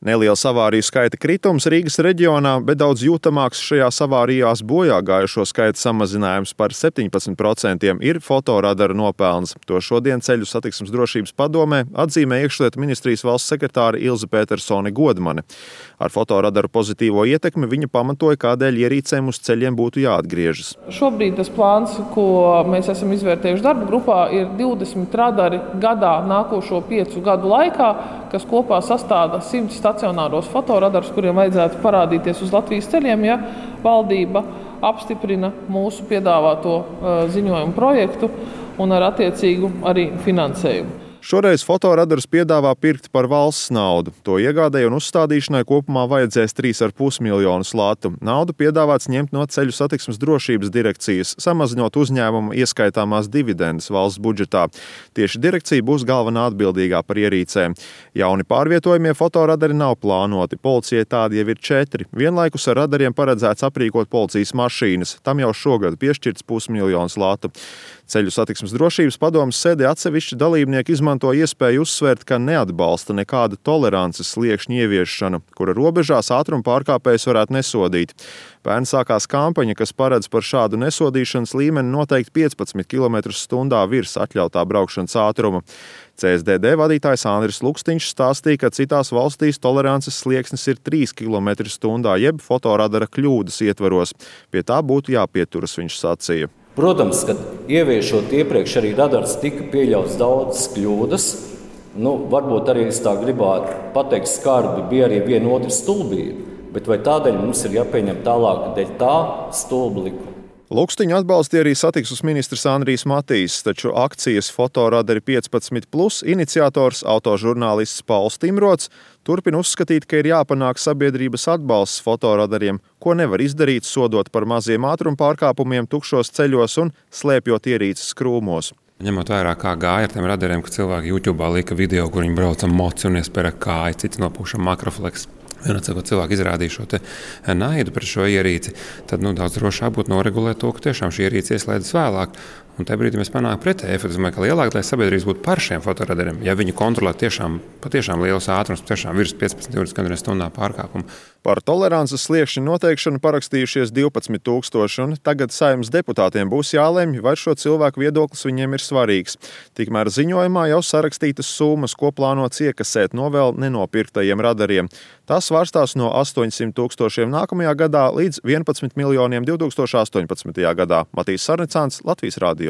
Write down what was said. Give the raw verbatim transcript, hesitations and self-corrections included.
Neliels avāriju skaita kritums Rīgas reģionā, bet daudz jūtamāks šajās avārijās bojā gājušo skaita samazinājums par septiņpadsmit procentiem ir fotoradaru nopelns. To šodien Ceļu satiksmes drošības padomē atzīmē iekšlietu ministrijas valsts sekretāre Ilze Petersone Godmane. Ar fotoradaru pozitīvo ietekmi viņa pamatoja, kādēļ ierīcēm uz ceļiem būtu jāatgriežas. Šobrīd tas plāns, ko mēs esam izvērtējuši darba grupā, ir divdesmit radari gadā nākošo piecu gadu laikā, kas kopā sastāda simts stacionāros fotoradarus, kuriem vajadzētu parādīties uz Latvijas ceļiem, ja valdība apstiprina mūsu piedāvāto ziņojumu projektu un ar attiecīgu arī finansējumu. Šoreiz fotoradarus piedāvā pirkt par valsts naudu. To iegādēji un uzstādīšanai kopumā vajadzēs trīs ar pus miljonus latu. Naudu piedāvāts ņemt no Ceļu satiksmes drošības direkcijas, samazinot uzņēmumu ieskaitāmās dividendes valsts budžetā. Tieši direkcija būs galvenā atbildīgā par ierīcēm. Jauni pārvietojamie fotoradari nav plānoti. Policijai tādi jau ir četri. Vienlaikus ar radariem paredzēts aprīkot policijas mašīnas. Tam jau šogad piešķirts pusmiljons latu. Ceļu satiksmes drošības padomes sēdē atsevišķi dalībnieki izmanto iespēju uzsvērt, ka neatbalsta nekādu tolerances sliekšņu ieviešanu, kura robežās ātruma pārkāpējus varētu nesodīt. Pērn sākās kampaņa, kas paredz par šādu nesodīšanas līmeni noteikti piecpadsmit kilometrus stundā virs atļautā braukšanas ātruma. C S D D vadītājs Andris Lukstiņš stāstīja, ka citās valstīs tolerances slieksnis ir trīs kilometri stundā, jeb fotoradara kļūdas ietvaros. Pie tā būtu jāpieturas, viņš sacīja. Protams, ka ieviešot iepriekš arī radars tika pieļauts daudzas kļūdas. Nu, varbūt arī es tā gribētu pateikt skarbi, bija arī viena otra stulbība, bet vai tādēļ mums ir jāpieņem tālāk dēļ tā stulba likuma? Lukstiņu atbalstīja arī satiksmes ministrs Andrijs Matīs, taču akcijas Fotoradari piecpadsmit plus iniciators, autožurnālists Pauls Timrots, turpina uzskatīt, ka ir jāpanāk sabiedrības atbalsts fotoradariem, ko nevar izdarīt, sodot par maziem ātruma pārkāpumiem tukšos ceļos un slēpjot ierīces krūmos. Ņemot vērā, kā gāja ar tiem radariem, ka cilvēki YouTube'ā lika video, kur viņi brauca moci un iespēra kāju, cits nopūša makrofleks. Vienot, ka cilvēki izrādīja šo te naidu pret šo ierīci, tad nu, daudz drošāk būtu noregulēt to, ka tiešām šī ierīce ieslēdzas vēlāk. Un tajā brīdī mēs panākam pretēju efektu. Es domāju, ka lielāk, lai sabiedrības būtu par šiem fotoradariem, ja viņi kontrolē tiešām, patiešām liels ātrums, tiešām virs piecpadsmit divdesmit stundā pārkāpumu. Par tolerances sliekšņu noteikšanu parakstījušies divpadsmit tūkstoši, un tagad Saeimas deputātiem būs jālemj, vai šo cilvēku viedoklis viņiem ir svarīgs. Tikmēr ziņojumā jau sarakstītas summas, ko plānots iekasēt no vēl nenopirktajiem radariem. Tas svārstās no astoņsimt tūkstošiem nākamajā gadā līdz vienpadsmit miljoniem divtūkstoši astoņpadsmitajā gadā. Matīs Sarnicāns, Latvijas radio.